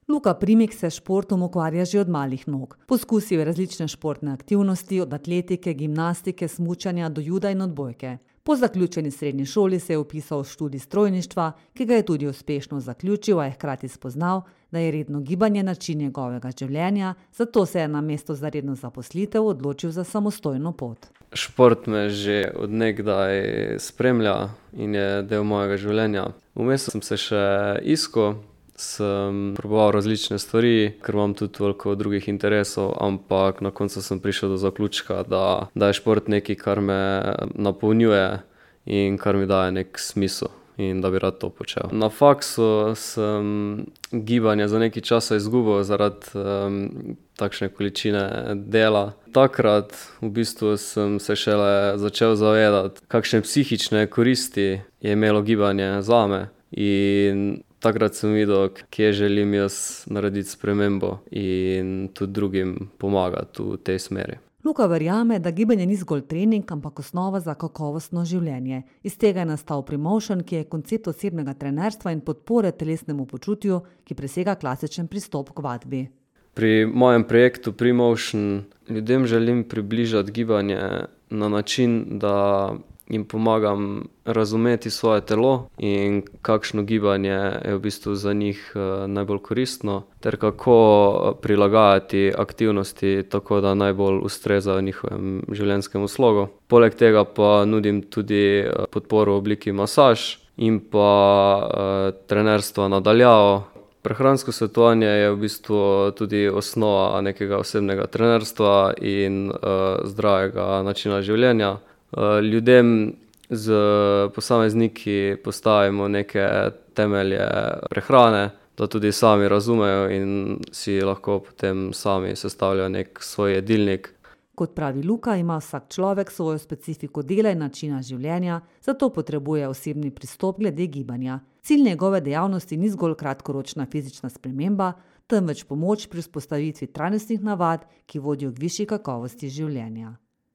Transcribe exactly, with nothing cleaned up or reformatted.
Luka Primik se s športom ukvarja že od malih nog. Poskusil je različne športne aktivnosti, od atletike, gimnastike, smučanja do juda in odbojke. Po zaključeni srednji šoli se je vpisal v študij strojništva, ki ga je tudi uspešno zaključil, a je hkrati spoznal, da je redno gibanje način njegovega življenja, zato se je namesto za redno zaposlitev odločil za samostojno pot. Šport me že od nekdaj spremlja in je del mojega življenja. Vmes sem se še iskal, sem proboval različne stvari, ker imam tudi veliko drugih interesov, ampak na koncu sem prišel do zaključka, da, da je šport nekaj, kar me napolnjuje in kar mi daje nek smisel in da bi rad to počel. Na faksu sem gibanje za nekaj časa izgubil zaradi um, takšne količine dela. Takrat v bistvu sem se šele začel zavedati, kakšne psihične koristi je imelo gibanje zame, in takrat sem videl, kje želim jaz narediti spremembo in tudi drugim pomagati v tej smeri. Luka verjame, da gibanje ni zgolj trening, ampak osnova za kakovostno življenje. Iz tega je nastal Premotion, ki je koncept osebnega trenerstva in podpore telesnemu počutju, ki presega klasičen pristop k vadbi. Pri mojem projektu Premotion ljudem želim približati gibanje na način, da jim pomagam razumeti svoje telo in kakšno gibanje je v bistvu za njih najbolj koristno, ter kako prilagajati aktivnosti tako, da najbolj ustrezajo njihovem življenjskemu slogu. Poleg tega pa nudim tudi podporo v obliki masaž in pa trenerstva na daljavo. Prehransko svetovanje je v bistvu tudi osnova nekega osebnega trenerstva in zdravega načina življenja. Ljudem z posamezniki postavimo neke temelje prehrane, da tudi sami razumejo in si lahko potem sami sestavljajo nek svoj jedilnik. Kot pravi Luka, ima vsak človek svojo specifiko dela in načina življenja, zato potrebuje osebni pristop glede gibanja. Cilj njegove dejavnosti ni zgolj kratkoročna fizična sprememba, temveč pomoč pri vzpostavitvi trajnostnih navad, ki vodijo k višji kakovosti življenja.